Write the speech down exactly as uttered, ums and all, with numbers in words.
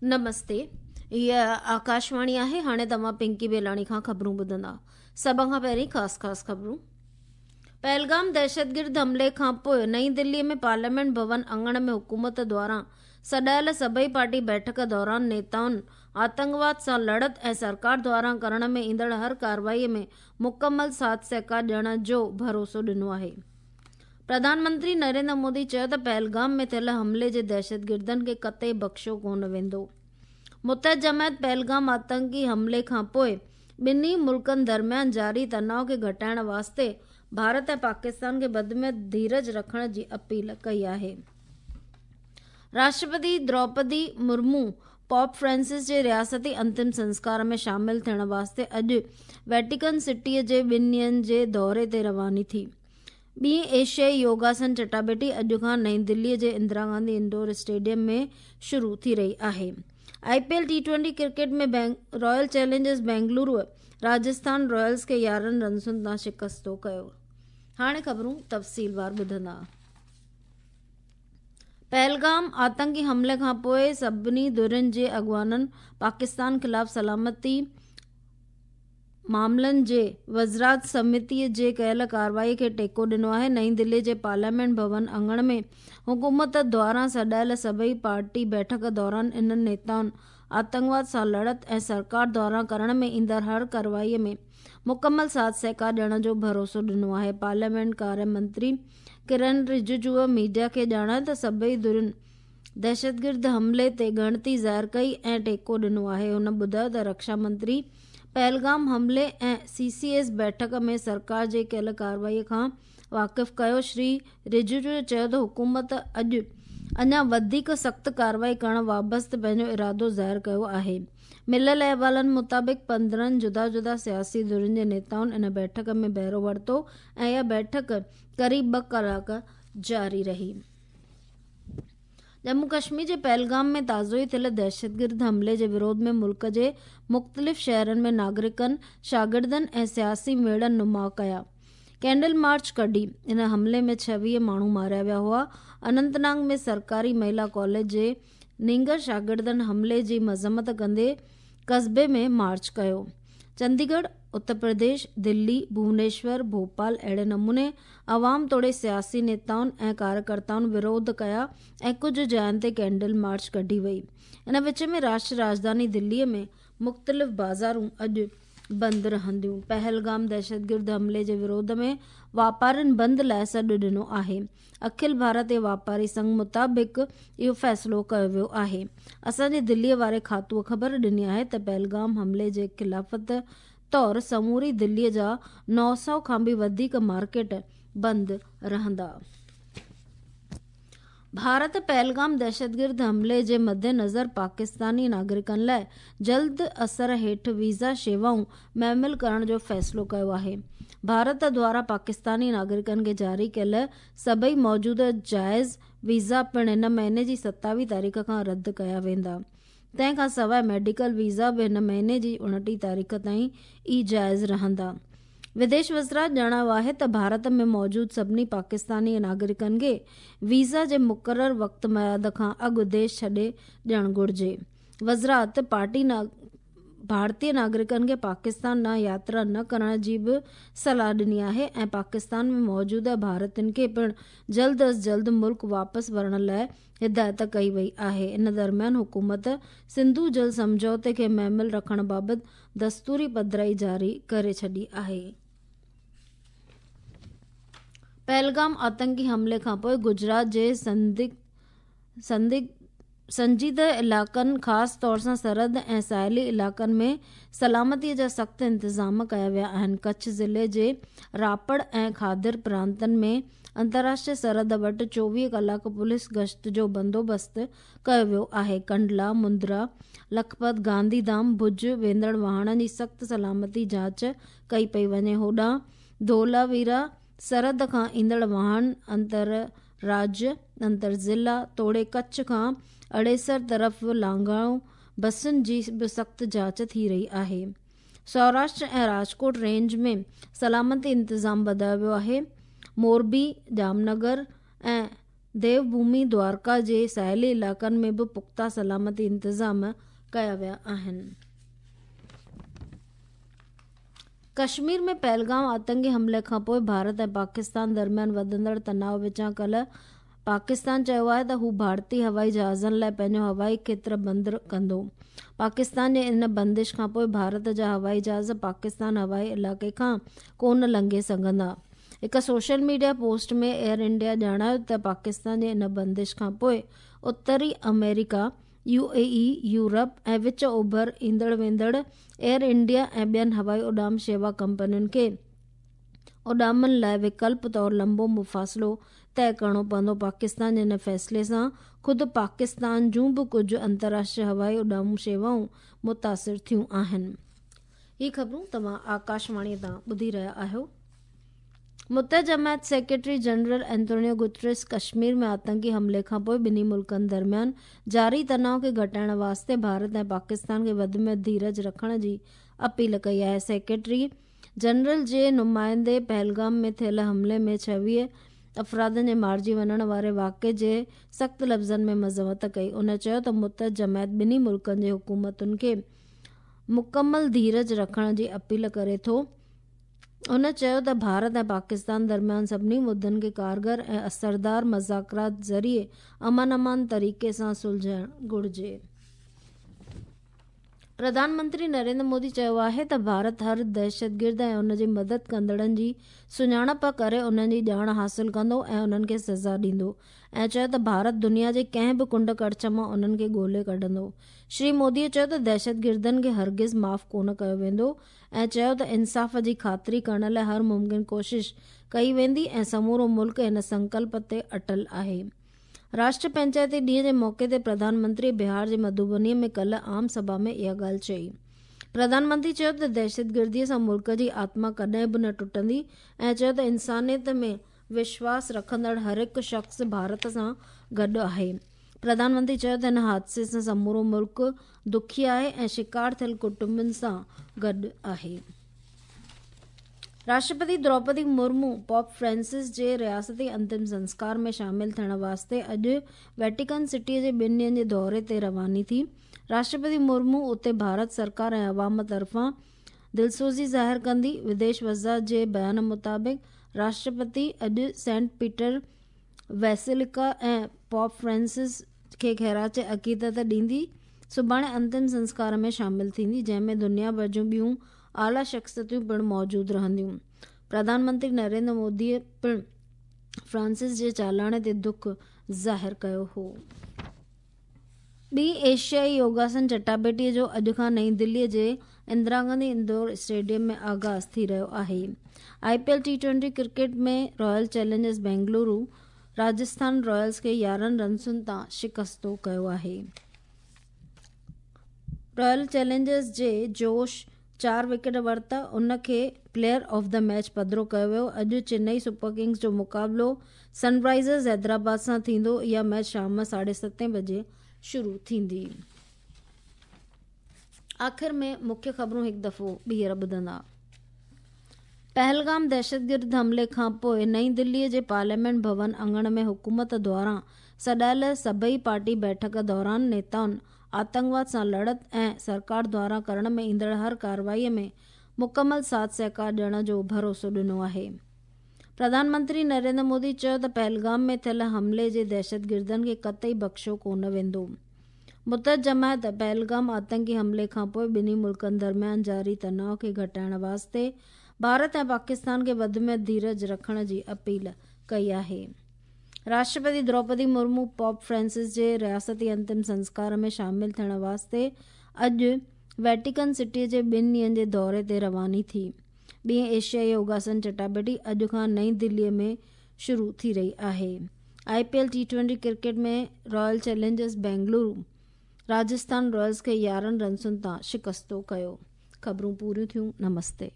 نمستي، هيء آڪاشواڻي آهي. هاڻي توهان پنڪي بيلاڻي کان خبرون ٻڌندا. سڀ کان پهرين خاص خاص خبرون. پهلگام دهشتگرد حملي کان پوءِ نئين دليء ۾ پارليامينٽ ڀون اڱڻ ۾ حڪومت دواران سڏايل سڀئي پارٽي بيٺڪ دوران نيتائن آتنڪواد سان لڙت ۽ سرڪار دواران ڪرڻ ۾ ايندڙ هر ڪارروائي ۾ مڪمل ساٿ سهڪار ڏيڻ جو ڀروسو ڏنو آهي. پرڌان منتري نريندر مودي چيو ته پهلگام ۾ ٿيل حملي جي دهشتگردن کي قطعي بخشيو ڪونه ويندو. متحد جماعت پهلگام آتنڪي حملي کان پوءِ ٻنهي ملڪن درميان جاري تناءُ کي گهٽائڻ واسطي ڀارت ۽ پاڪستان کي وڌ ۾ ڌيرج رکڻ جي اپيل ڪئي آهي. راشٽرپتي دروپدي مرمو پوپ فرانسس جي رياستي انتم سنسڪار ۾ شامل ٿيڻ واسطي اڄ ويٽيڪن سٽيءَ جي ٻن ڏينهن جي دوري تي رواني ٿي. ٻي ايشيائي يوگاسن چٽاڀيٽي اڄ کان نئين دليءَ جي اندرا گانڌي انڊور اسٽيڊيم ۾ شروع ٿي رهي آهي. I P L T twenty cricket ۾ Royal Challengers Bengaluru Rajasthan Royals کي يارهن رنسن تان شڪستو ڪيو. هاڻي خبرون تفصيلوار ٻڌندا. پهلگام آتنڪي حملي کان پوءِ سڀني ڌرين جي اڳواڻن پاڪستان خلاف سلامتي معاملن جي وزارت سمتيءَ جي ڪيل ڪارروائي کي ٽيڪو ڏنو آهي. نئين دلي جي پارليامينٽ ڀون اڱڻ ۾ حڪومت دواران سڏايل سڀئي پارٽي بيٺڪ دوران انهن نيتائن آتنڪواد سان لڙت ۽ سرڪار دواران ڪرڻ ۾ ايندڙ هر ڪارروائي ۾ مڪمل ساٿ سهڪار ڏيڻ جو ڀروسو ڏنو آهي. پارليامينٽ ڪاريه منتري ڪرن رججوءَ ميڊيا کي ڄاڻايو ته سڀئي ڌرين دهشتگرد حملي تي ڳڻتي ظاهر ڪئي ۽ ٽيڪو ڏنو آهي. هن ٻڌايو ته رڪشا منتري پهلگام حملي ۽ سي سي ايس بيٺڪ ۾ سرڪار جي ڪيل ڪارروائي کان واقف ڪيو. شري رججو چيو ته حڪومت اڄ اڃا وڌيڪ سخت ڪارروائي ڪرڻ وابسته پنهنجو ارادو ظاهر ڪيو آهي. مليل احوالن مطابق پندرهن جدا جدا سياسي ڌرين جي نيتائن ان بيٺڪ ۾ بهرو ورتو ۽ اها بيٺڪ قريب ٻه ڪلاڪ جاري رهي. ڄمون ڪشمير جي پهلگام ۾ تازو ئي ٿيل دهشتگرد حملي جي وروڌ ۾ ملڪ جي مختلف شهرن ۾ ناگرڪن، شاگردن ۽ سياسي ميڙن نماءُ ڪيا. ڪينڊل مارچ ڪڍي. ان حملي ۾ ڇويهه ماڻهو ماريا ويا هئا. اننت ناگ ۾ سرڪاري مهلا ڪاليج جي نينگر شاگردن حملي جي مذمت ڪندي قصبي ۾ مارچ ڪيو. چنديڳڙهه، اتر پرديش، دلي، ڀونيشور، ڀوپال اهڙي نموني عوام توڙي سياسي نيتائن ۽ ڪاريڪرتائن وروڌ ڪيا ۽ ڪجهه جاين تي ڪينڊل مارچ ڪڍي وئي. ان وچ ۾ راشٽر راڄڌاني دليءَ ۾ مختلف بازارون اڄ بند رهنديون. پهلگام دهشتگرد حملي جي وروڌ ۾ واپارين بند لاءِ سڏ ڏنو آهي. اکل ڀارتيه واپاري سنگهه مطابق اهو فيصلو ڪيو ويو آهي. اسان جي دليءَ واري کاتوءَ خبر ڏني آهي ته پهلگام حملي جي خلافت طور سموري دليءَ جا نو سؤ کان به وڌيڪ مارڪيٽ بند رهندا. ڀارت پهلگام دهشتگرد حملي جي مدنظر پاڪستاني ناگرڪن لاءِ جلد اثر هيٺ ويزا شيوائون معمل ڪرڻ جو فيصلو ڪيو آهي. ڀارت دواران پاڪستاني ناگرڪن کي جاري ڪيل سڀئي موجوده جائز ويزا پڻ هن مهيني جي ستاويهه تاريخ کان رد ڪيا ويندا. تنهن کان سواءِ ميڊيڪل ويزا به هن مهيني جي اڻٽيهه تاريخ تائين ئي جائز رهندا. وديش وزارت ڄاڻايو آهي ته ڀارت ۾ موجود سڀني پاڪستاني ناگرڪن کي ويزا جي مقرر وقت ميعاد کان اڳ ديش ڇڏي ڏيڻ گهرجي. وزارت پارٽي ڀارتيه ناگرڪن کي پاڪستان ڏانهن ياترا نه ڪرڻ جي به صلاح ڏني آهي ۽ پاڪستان ۾ موجوده ڀارتين کي پڻ جلد از جلد ملڪ واپس ورڻ لاءِ هدايت ڪئي وئي آهي. ان درميان حڪومت سنڌو جل سمجهوتي کي معمل رکڻ بابت دستوري پڌرائي جاري ڪري ڇڏي آهي. پهلگام آتنڪي حملي کان پوءِ گجرات جي سنجيده علائقن خاص طور سان سرحد ۽ ساحلي علائقن ۾ سلامتيءَ جا سخت انتظام ڪيا ويا آهن. ڪڇ ضلعي جي راپڙ ۽ کادر پرانتن ۾ انترراشٽريه سرحد وٽ چوويهه ڪلاڪ پوليس گشت جو بندوبست ڪيو ويو آهي. ڪنڊلا، مندرا، لکپت، گانڌيڌام، ڀڄ ويندڙ واهڻن جي سخت سلامتي جاچ ڪئي پئي وڃي. هوڏانهن ڌولاويرا سرحد کان ايندڙ واهڻ انتر راجيه، انتر ضلع توڙي ڪڇ کان اڙيسر طرف لانگهائو بسن جي به سخت جاچ ٿي رهي آهي. سوراشٽر ۽ راجڪوٽ رينج ۾ سلامتي انتظام وڌايو ويو آهي. موربي، ڄامنگر ۽ ديوڀومي دوارڪا جي ساحلي علائقن ۾ به پختا سلامتي انتظام ڪيا ويا آهن. ڪشمير ۾ پهلگام آتنڪي حملي کانپوءِ ڀارت ۽ پاڪستان درميان وڌندڙ تناءُ وچان ڪالهه پاڪستان چيو آهي ته هو ڀارتي هوائي جهازن لاءِ پنهنجو هوائي کيتر بند ڪندو. پاڪستان جي ان بندش کانپوءِ ڀارت جا هوائي جهاز پاڪستان هوائي علائقي کان ڪونه لنگهي سگهندا. هڪ social media post ۾ Air India ڄاڻايو ته پاڪستان جي ان بندش کانپوءِ اتري آمريڪا، يو اي اي، يورپ ۽ وچ اوڀر ايندڙ ويندڙ ايئر انڊيا ۽ ٻين هوائي اڏام شيوا ڪمپنين کي اڏامن لاءِ وڪلپ طور لمبو مفاصلو طئي ڪرڻو پوندو. پاڪستان جي ان فيصلي سان خود پاڪستان جون به ڪجهه انترراشٽريه هوائي اڏام شيوائون متاثر ٿيون آهن. هي خبرون توهان آڪاشواڻي تان ٻڌي رهيا آهيو. متحده جماعت secretary general Antonio Guterres Kashmir ۾ آتنڪي حملي کانپوءِ ٻنهي ملڪن درميان جاري تناءُ کي گهٽائڻ واسطي ڀارت ۽ پاڪستان کي وڌ ۾ وڌ ڌيرج رکڻ جي اپيل ڪئي آهي. سيڪريٽري جنرل جي نمائندي پهلگام ۾ ٿيل حملي ۾ ڇويهه افرادن جي مارجي وڃڻ واري واقعي جي سخت لفظن ۾ مذمت ڪئي. ان چيو ته متحده جماعت ٻنهي ملڪن جي حڪومتن کي مڪمل ڌيرج رکڻ جي اپيل ڪري ٿو. هن چيو ته ڀارت ۽ پاڪستان درميان سڀني مدعن کي ڪارگر ۽ اثردار مذاڪرات ذريعي امن امان طريقي سان سلجهائڻ گهرجي. پرڌان منتري نريندر مودي چيو آهي ته ڀارت هر دهشتگرد ۽ ان جي مدد ڪندڙن جي سڃاڻپ ڪري انهن جي ڄاڻ حاصل ڪندو ۽ انهن کي سزا ڏيندو ۽ چيو ته ڀارت دنيا جي ڪنهن به ڪنڊ ڪڙڇ مان انهن کي ڳولي ڪڍندو. شري مودي چيو ته دهشتگردن کي هرگز معاف ڪونه ڪيو ويندو ۽ چيو ته انصاف جي خاطري ڪرڻ لاءِ هر ممڪن ڪوشش ڪئي ويندي ۽ سمورو ملڪ هن سنڪلپ تي اٽل آهي. راشٽر پنچائتي ڏينهن جي موقعي تي پرڌان منتري بهار جي مڌوبني ۾ ڪالهه عام سڀا ۾ اها ڳالهه چئي. پرڌان منتري چيو ته دهشتگردي سان ملڪ جي آتما ڪڏهن به نه ٽٽندي ۽ چيو ته انسانيت ۾ وشواس رکندڙ هر هڪ شخص ڀارت سان گڏ آهي. پرڌان منتري چيو ته هن حادثي سان سمورو ملڪ دکي آهي ۽ شڪار ٿيل ڪٽنبن سان گڏ آهي. راشٽرپتي دروپدي مرمو پوپ فرانسس جي رياستي انتم سنسڪار ۾ شامل ٿيڻ واسطي اڄ ويٽيڪن سٽيءَ جي ٻن ڏينهن جي دوري تي رواني ٿي. راشٽرپتي مرمو اتي ڀارت سرڪار ۽ عوام طرفان دلسوزي ظاهر ڪندي. وديش وزارت جي بيان مطابق راشٽرپتي اڄ Saint Peter Basilica ۽ Pope Francis کي خراج عقيدت ڏيندي. سڀاڻي انتم سنسڪار ۾ شامل ٿيندي، جنهن ۾ دنيا ڀر جون ٻيون اعليٰ شخصيتون پڻ موجود رهنديون. پرڌان منتري نريندر مودي پڻ فرانسس جي چالاڻي تي دک ظاهر ڪيو هو. ٻي ايشيائي يوگاسن چٽاڀيٽيءَ جو اڄ کان نئين دليءَ جي اندرا گانڌي اندور اسٽيڊيم ۾ آغاز ٿي رهيو آهي. I P L T twenty cricket ۾ Royal Challengers Bengaluru Rajasthan Royals کي يارهن رنسن تان شڪستو ڪيو آهي. رائل چئلينجرز جي جوش چار وڪيٽ ورتا، ان کي پليئر آف the match پڌرو ڪيو ويو. اڄ چنئي سپر ڪنگز جو مقابلو سن رائزرز حيدرآباد سان ٿيندو. اها ميچ شام ساڍي ستين بجي شروع ٿيندي. آخر ۾ مکيه خبرون هڪ دفعو ٻيهر ٻڌندا. پهلگام دهشتگرد حملي کان پوءِ نئين دليءَ جي پارليامينٽ ڀون اڱڻ ۾ حڪومت دواران سڏايل سڀئي پارٽي بيٺڪ دوران نيتائن آتنڪواد سان لڙت ۽ سرڪار دواران ڪرڻ ۾ ايندڙ هر ڪارروائيءَ ۾ مڪمل ساٿ سهڪار ڏيڻ جو ڀروسو ڏنو آهي. پرڌان منتري نريندر مودي چيو ته پهلگام ۾ ٿيل حملي جي دهشتگردن کي قطعي بخشيو ڪونه ويندو. متحده جماعت پهلگام آتنڪي حملي کان پوءِ ٻنهي ملڪن درميان جاري تناءُ کي گهٽائڻ واسطي ڀارت ۽ پاڪستان کي وڌ ۾ وڌ ڌيرج رکڻ جي اپيل ڪئي آهي. راشٽرپتي دروپدي مرمو پوپ فرانسس جي رياستي انتم سنسڪار ۾ شامل ٿيڻ واسطي اڄ ويٽيڪن سٽيءَ جي ٻن ڏينهن جي دوري تي رواني ٿي. ٻي ايشيائي يوگاسن چٽاڀيٽي اڄ کان نئين دليءَ ۾ شروع ٿي رهي آهي. I P L T twenty cricket ۾ Royal Challengers Bengaluru Rajasthan Royals کي يارهن رنسن تان شڪستو ڪيو. خبرون پوريون ٿيون. نمستي.